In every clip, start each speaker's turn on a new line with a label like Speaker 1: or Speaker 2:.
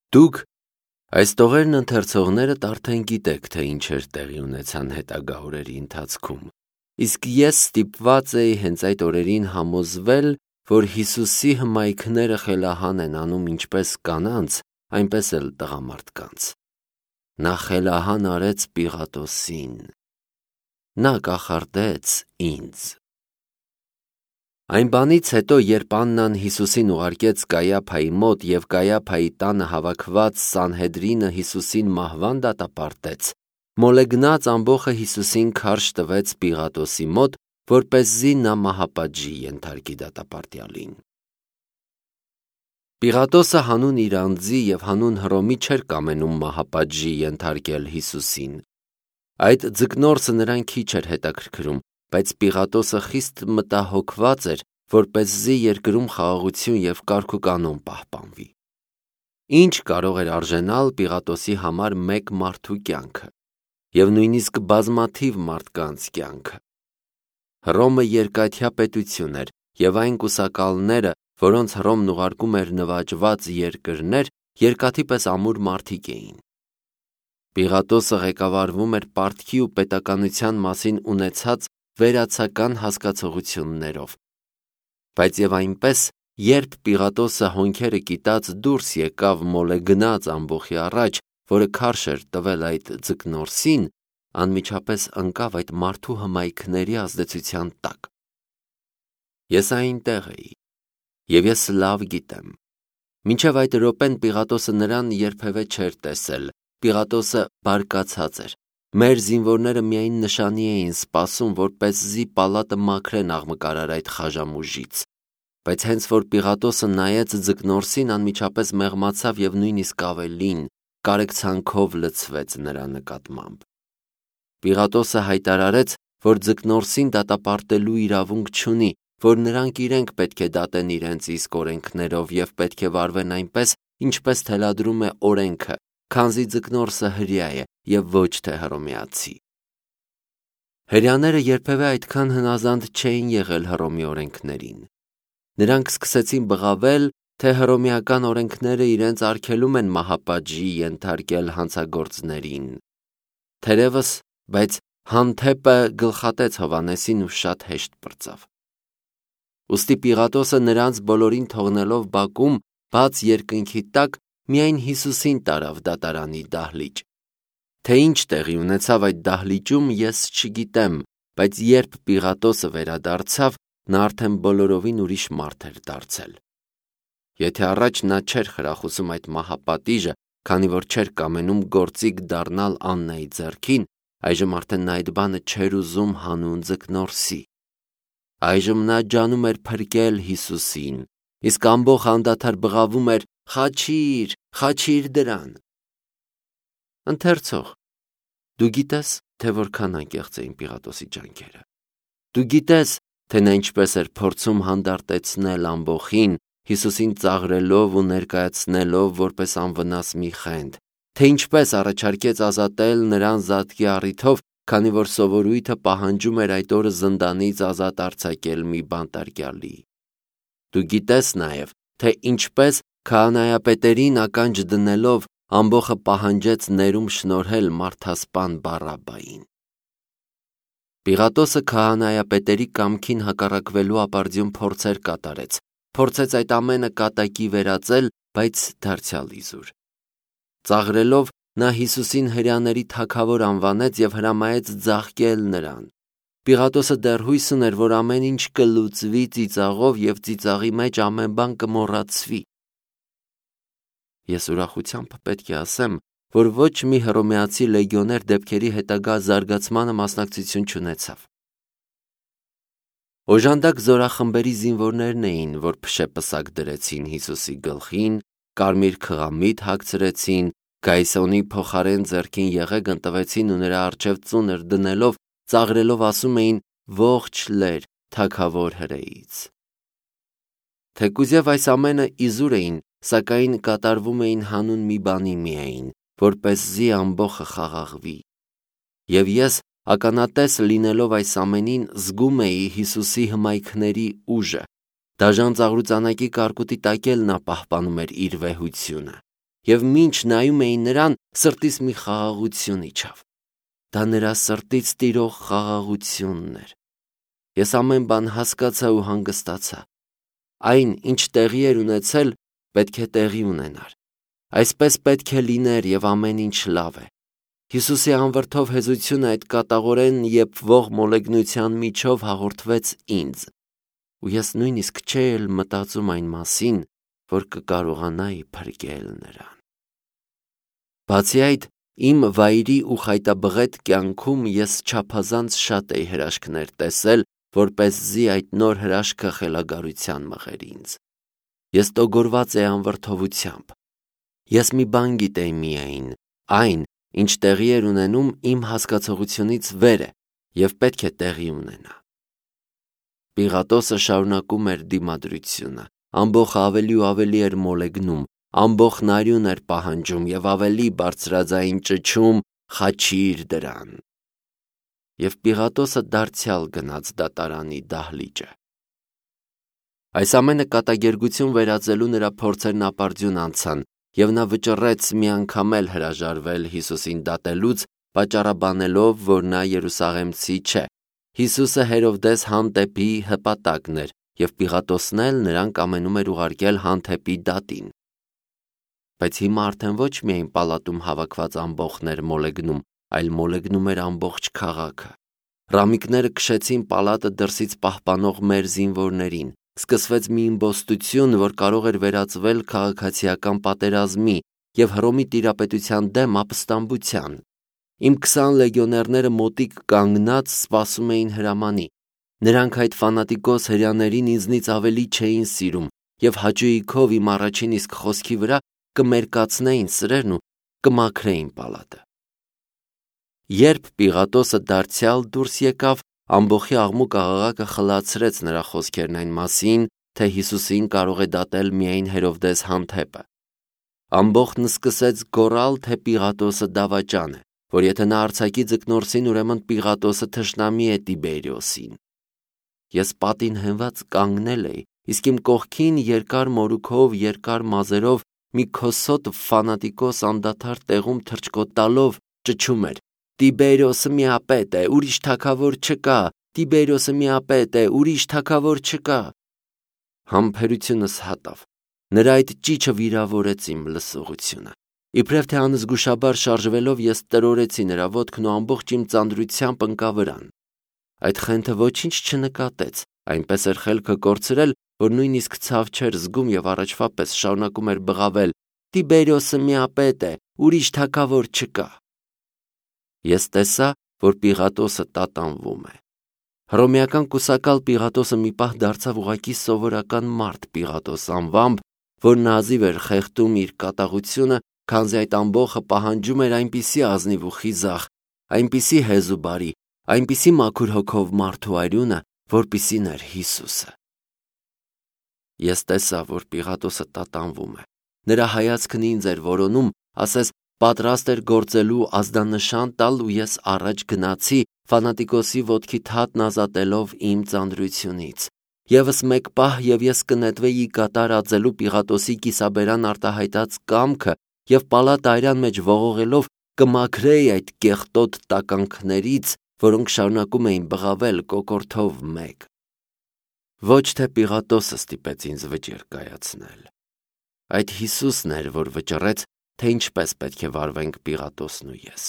Speaker 1: Դուք այս տողերն ընթերցողներդ արդեն գիտեք, թե ինչեր տեղի ունեցան հետագա օրերի ընթացքում, իսկ ես ստիպված էի հենց այդ օրերին համոզվել, որ Հիսուսի հմայքները խելահան են անում ինչպես կանանց, այնպես էլ տղամարդկանց։ Նա խելահան արեց Պիղատոսին, նա կախարդեց ինձ։ Այն բանից հետո, երբ Աննան Հիսուսին ուղարկեց Կայափայի մոտ և Կայափայի տանը հավաքված Սանհեդրինը Հիսուսին մահվան դատապարտեց, մոլեգնած ամբոխը Հիսուսին քարշ տվեց Պիղատոսի մոտ, որպեսզի նա մահապատժի ենթարկի դատապարտյալին։ Պիղատոսը հանուն իր անձի և հանուն Հռոմի չէր կամենում մահապատժի ենթարկել Հիսուսին։ Այդ ձկնորսը նրան քիչ էր հետաքրքրում, բայց Պիղատոսը խիստ մտահոգված էր, որպեսզի երկրում խաղաղություն և կարգուկանոն պահպանվի։ Ինչ կարող էր արժենալ Պիղատոսի համար մեկ մարդու կյանքը և նույնիսկ բազմաթիվ մարդկանց կյանքը։ Հռոմը երկաթյա պետություն էր, և այն կուսակալները, որոնց Հռոմն ուղարկում էր նվաճված երկրներ, երկաթի պես ամուր մարդիկ էին։ Պիղատոսը ղեկավարվում էր պարտքի ու պետականության մասին ունեցած վերացական հասկացություններով։ Բայց և այնպես, երբ Պիղատոսը հոնքերը կիտած դուրս եկավ մոլեգնած ամբոխի առաջ, որը քարշ էր տվել այդ ձկնորսին, անմիջապես ընկավ այդ մարդու հմայքների ազդեցության տակ։ Ես այնտեղ էի, և ես լավ գիտեմ։ Մինչև այդ րոպեն Պիղատոսը նրան երբևէ չէր տեսել, Պիղատոսը բարկացած էր։ Մեր զինվորները միայն նշանի էին սպասում, որպեսզի պալատը մաքրեն աղմկարար այդ խաժամուժից։ Բայց հենց որ Պիղատոսը նայեց ձկնորսին, անմիջապես մեղմացավ և նույնիսկ ավելին, կարեկցանքով լցվեց նրա նկատմամբ։ Պիղատոսը հայտարարեց, որ ձկնորսին դատապարտելու իրավունք չունի, որ նրանք իրենք պետք է դատեն իրենց իսկ օրենքներով և պետք է վարվեն այնպես, ինչպես թելադրում է օրենքը, քանզի ձկնորսը հրեա է և ոչ թե հռոմեացի։ Հրեաները երբևէ այդքան հնազանդ չէին եղել Հռոմի օրենքներին։ Նրանք սկսեցին բղավել, թե հռոմեական օրենքները իրենց արգելում են մահապատժի ենթարկել հանցագործներին։ Թերևս, բայց հանդեպը գլխատեց Հովհաննեսին ու շատ հեշտ պրծավ։ Ուստի Պիղատոսը նրանց բոլորին թողնելով բակում, բաց երկնքի տակ, միայն Հիսուսին տարավ դատարանի դահլիճ։ Թե ինչ տեղի ունեցավ այդ դահլիճում, ես չգիտեմ, բայց երբ Պիղատոսը վերադարձավ, նա արդեն բոլորովին ուրիշ մարդ էր դարձել։ Եթե առաջ նա չէր խրախուսում այդ մահապատիժը, քանի որ չէր կամենում գործիք դառնալ Աննայի ձեռքին, այժմ արդեն նա այդ բանը չէր ուզում հանուն ձկնորսի։ Այժմ նա ջանում էր փրկել Հիսուսին, իսկ ամբոխ անդադար բղավում էր. «Խաչի՛ր, խաչի՛ր դրան»։ Ընթերցող, դու գիտես, թե որքան անկեղծ էին Պիղատոսի ջանքերը։ Դու գիտես, թե նա ինչպես էր փորձում հանդարտեցնել ամբոխին, Հիսուսին ծաղրելով ու ներկայացնելով որպես անվնաս մի խենթ, թե ինչպես առաջարկեց ազատել նրան զատկի առիթով, քանի որ սովորույթը պահանջում էր այդ օրը զնդանից ազատ արձակել մի բանտարկյալի։ Դու գիտես նաև, թե ինչպես քահանայապետերին ականջ դնելով ամբոխը պահանջեց ներում շնորհել մարդասպան Բարաբբային։ Պիղատոսը քահանայապետերի կամքին հակառակվելու ապարդյուն փորձեր կատարեց, փորձեց այդ ամենը կատակի վերածել, բայց դարձյալ իզուր։ Ծաղրելով նա Հիսուսին հրեաների թագավոր անվանեց և հրամայեց ձաղկել նրան։ Պիղատոսը դեռ հույս ուներ, որ ամեն ինչ կլուծվի ծիծաղով և ծիծաղի մեջ ամեն բան կմոռացվի։ Ես ուրախությամբ պետք է ասեմ, որ ոչ մի հռոմեացի լեգիոներ դեպքերի հետագա զարգացմանը մասնակցություն չունեցավ։ Օժանդակ զորախմբերի զինվորներն էին, որ փշեպսակ դրեցին Հիսուսի գլխին, կարմիր քղամիտ հագցրեցին, Գայսոնի փոխարեն ձեռքին եղեգն տվեցին ու նրա առջև ծունր դնելով, ծաղրելով ասում էին. «Ողջ լեր, թագավոր հրեից»։ Թեկուզև այս ամենը իզուր էին, սակայն կատարվում էին հանուն մի բանի միայն, որպեսզի ամբոխը խաղաղվի։ Եվ ես, ականատես լինելով այս ամենին, զգում էի Հիսուսի հմայքների ուժը։ Դաժան ծաղրուծանակի կարկուտի տակ էլ նա պահպանում էր իր վեհությունը։ եւ մինչ նայում էին նրան, սրտիս մի խաղաղություն իջավ։ Դա նրա սրտից տիրող խաղաղությունն էր։ Ես ամեն բան հասկացա ու հանգստացա։ Այն, ինչ տեղի էր ունեցել, պետք է տեղի ունենար։ Այսպես պետք է լիներ եւ ամեն ինչ լավ է։ Հիսուսի անվրդով հեզությունը այդ կատաղորեն եփվող մոլեգնության միջով հաղորդվեց ինձ, ու ես նույնիսկ չէի էլ մտածում այն մասին, որ կկարողանայի փրկել նրան։ Բացի այդ, իմ վայրի ու խայտաբղետ կյանքում ես չափազանց շատ էի հրաշքներ տեսել, որպեսզի այդ նոր հրաշքը խելագարության մղեր ինձ։ Ես տոգորված էի անվրդովությամբ։ Ես մի բան գիտեի միայն, այն, ինչ տեղի էր ունենում իմ հասկացողությունից վեր է եւ պետք է տեղի ունենա։ Պիղատոսը շարունակում էր դիմադրությունը, ամբողջը ավելի ու ավելի էր մոլեգնում, ամբողջն արյուն էր պահանջում եւ ավելի բարձրաձայն ճչում. «Խաչիր դրան»։ Եվ Պիղատոսը դարձյալ գնաց դատարանի դահլիճը։ Այս ամենը կատակերգություն վերածելու նրա փորձերն ապարդյուն անցան, եւ նա վճռեց մի անգամ էլ հրաժարվել Հիսուսին դատելուց, պատճառաբանելով, որ նա Երուսաղեմցի չէ։ Հիսուսը Հերովդես հանդեպի հպատակն էր, եւ Պիղատոսն էլ նրան կամենում էր ուղարկել հանդեպի դատին։ Բայց հիմա արդեն ոչ միայն պալատում հավաքված ամբոխներ մոլեգնում, այլ մոլեգնում էր ամբողջ քաղաքը։ Ռամիկները քշեցին պալատը դրսից պահպանող մեր զինվորներին։ Սկսվեց մի իմբոստություն, որ կարող էր վերածվել քաղաքացիական պատերազմի եւ Հռոմի տիրապետության դեմ ապստամբության։ Իմ 20 լեգիոներները մոտիկ կանգնած սպասում էին հրամանի։ Նրանք այդ ֆանատիկոս հրյաներին ինձնից ավելի չէին սիրում եւ հաճույքով իմ առաջին իսկ խոսքի վրա կմերկացնեին սրերն ու կմաքրեին պալատը։ Երբ Պիղատոսը դարձյալ դուրս եկավ, ամբոխի աղմուկ աղաղակը խլացրեց նրա խոսքերն այն մասին, թե Հիսուսին կարող է դատել միայն Հերովդես հանդեպը։ Ամբոխն սկսեց գոռալ, թե Պիղատոսը դավաճան է, որ եթե նա արձակի ձկնորսին, ուրեմն Պիղատոսը թշնամի է Տիբերիոսին։ Ես պատին հենված կանգնել էի, իսկ իմ կողքին երկար մորուքով, երկար մազերով մի քոսոտ ֆանատիկոս անդադար տեղում թռչկոտ տալով ճչում էր. «Տիբերիոսը միապետ է, ուրիշ թագավոր չկա, Տիբերիոսը միապետ է, ուրիշ թագավոր չկա»։ Համբերությունս հատավ։ Նրա այդ ճիչը վիրավորեց իմ լսողությունը։ Իբրև թե անզգուշաբար շարժվելով ես տրորեցի նրա ոտքն ու ամբողջ իմ ծանրությամբ ընկա վրան։ Այդ խենթը ոչինչ չնկատեց, այնպես էր խելքը կորցրել, որ նույնիսկ ցավ չէր զգում եւ առաջվա պես շարունակում էր բղավել. «Տիբերիոսը միապետ է, ուրիշ թագավոր չկա»։ Ես տեսա, որ Պիղատոսը տատանվում է։ Հռոմեական կուսակալ Պիղատոսը մի պահ դարձավ ուղղակի սովորական մարդ Պիղատոս անվամբ, որ նազիվ էր խեղդում իր կատաղությունը, քանզի այդ ամբոխը պահանջում էր այնպիսի ազնիվ ու խիզախ, այնպիսի հեզ ու բարի, այնպիսի մաքուր հոգով մարդու արյունը, որպիսին էր Հիսուսը։ Ես տեսա, որ Պիղատոսը տատանվում է։ Նրա հայացքն ինձ էր որոնում, ասես պատրաստ էր գործելու ազդանշան տալ, ու ես առաջ գնացի, ֆանատիկոսի ոտքի թաթն ազատելով իմ ծանրությունից։ Եվս մեկ պահ եւ ես կնետվեի կատարածելու Պիղատոսի կիսաբերան արտահայտած կամքը եւ պալատ այրան մեջ ողողելով կմաքրեի այդ կեղտոտ տականքներից, որոնք շարունակում էին բղավել կոկորդով մեկ։ Ոչ թե Պիղատոսը ստիպեց ինձ վճիռ կայացնել։ Այդ Հիսուսն էր, որ վճռեց, թե ինչպես պետք է վարվենք Պիղատոսն ու ես։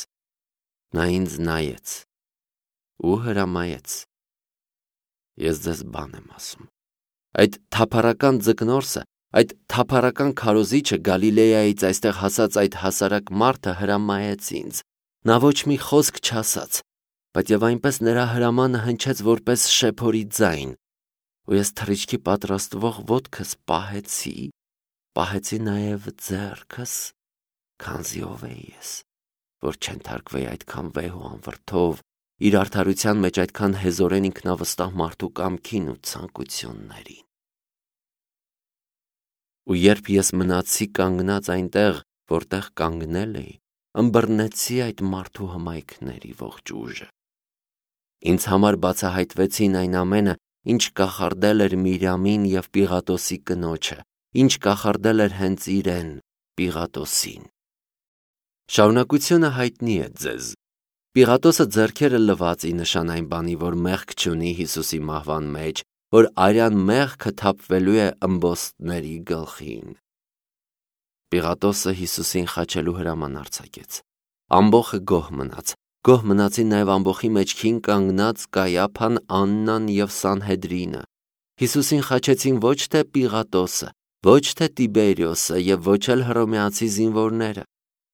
Speaker 1: Նա ինձ նայեց ու հրամայեց. Ես ձեզ բան եմ ասում։ Այդ թափառական ձկնորսը, այդ թափառական քարոզիչը Գալիլեայից այստեղ հասած այդ հասարակ մարդը հրամայեց ինձ։ Նա ոչ մի խոսք չասաց, բայց եւ այնպես նրա հրամանը հնչեց որպես շեփորի ձայն, ու ես թռիչքի պատրաստվող ոտքս պահեցի նաեւ ձեռքս, քանզի ով էի ես, որ չենթարկվեի այդքան վեհ ու անվրդով, իր արդարության մեջ այդքան հեզորեն ինքնավստահ մարդու կամքին ու ցանկություններին։ Ու երբ ես մնացի կանգնած այնտեղ, որտեղ կանգնել էի, ըմբռնեցի այդ մարդու հմայքների ողջ ուժը։ Ինձ համար բացահայտվեցին այն ամենը, ինչ կախարդել էր Միրյամին եւ Պիղատոսի կնոջը, ինչ կախարդել էր հենց իրեն, Պիղատոսին։ Շարունակությունը հայտնի է ձեզ։ Պիղատոսը ձեռքերը լվացի նշան այն բանի, որ մեղք չունի Հիսուսի մահվան մեջ, որ արյան մեղքը թափվելու է ըմբոստների գլխին։ Պիղատոսը Հիսուսին խաչելու հրաման արձակեց։ Ամբոխը գոհ մնացին նաև ամբոխի մեջքին կանգնած Կայափան, Աննան և Սանհեդրինը։ Հիսուսին խաչեցին ոչ թե Պիղատոսը, ոչ թե Տիբերիոսը և ոչ էլ հռոմեացի զինվորները։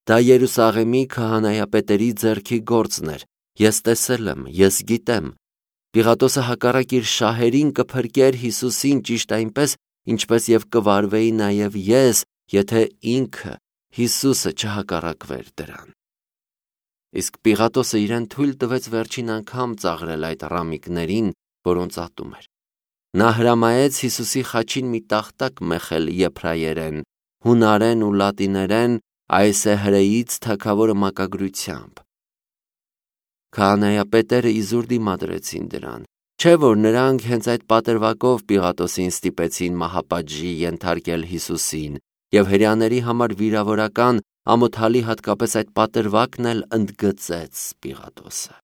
Speaker 1: Դա Երուսաղեմի քահանայապետերի ձեռքի գործն էր։ Ես տեսել եմ, ես գիտեմ։ Պիղատոսը հակառակ իր շահերին կփրկեր Հիսուսին ճիշտ այնպես, ինչպես և կվարվեի նաև ես, եթե ինքը Հիսուսը չհակառակվեր դրան։ Իսկ Պիղատոսը իրեն թույլ տվեց վերջին անգամ ծաղրել այդ ռամիկներին, որոնց ատում էր։ Նա հրամայեց Հիսուսի խաչին մի տախտակ մեխել եբրայերեն, հունարեն ու լատիներեն այս է հրեից թագավորը մակագրությամբ։ Քահանայապետերը իզուր դիմադրեցին դրան, չէ՞ որ նրանք հենց այդ պատրվակով Պիղատոսին ստիպեցին մահապատժի ենթարկել Հիսուսին, և հրեաների համար վիրավորական, ամոթալի հատկապես այդ պատրվակն էլ ընդգծեց Պիղատոսը։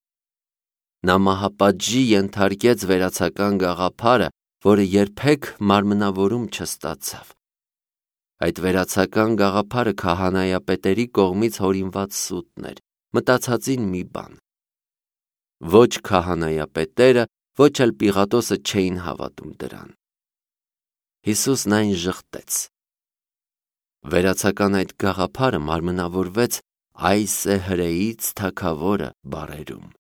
Speaker 1: Նա մահապատժի ենթարկեց վերացական գաղափարը, որը երբեք մարմնավորում չստացավ։ Այդ վերացական գաղափարը քահանայապետերի կողմից հորինված սուտն էր, մտածածին մի բան։ Ոչ քահանայապետերը, ոչ էլ Պիղատոսը չէին հավատում դրան։ Հիսուսն այն ժխտեց։ Վերացական այդ գաղափարը մարմնավորվեց այս է հրեից թագավորը բառերում։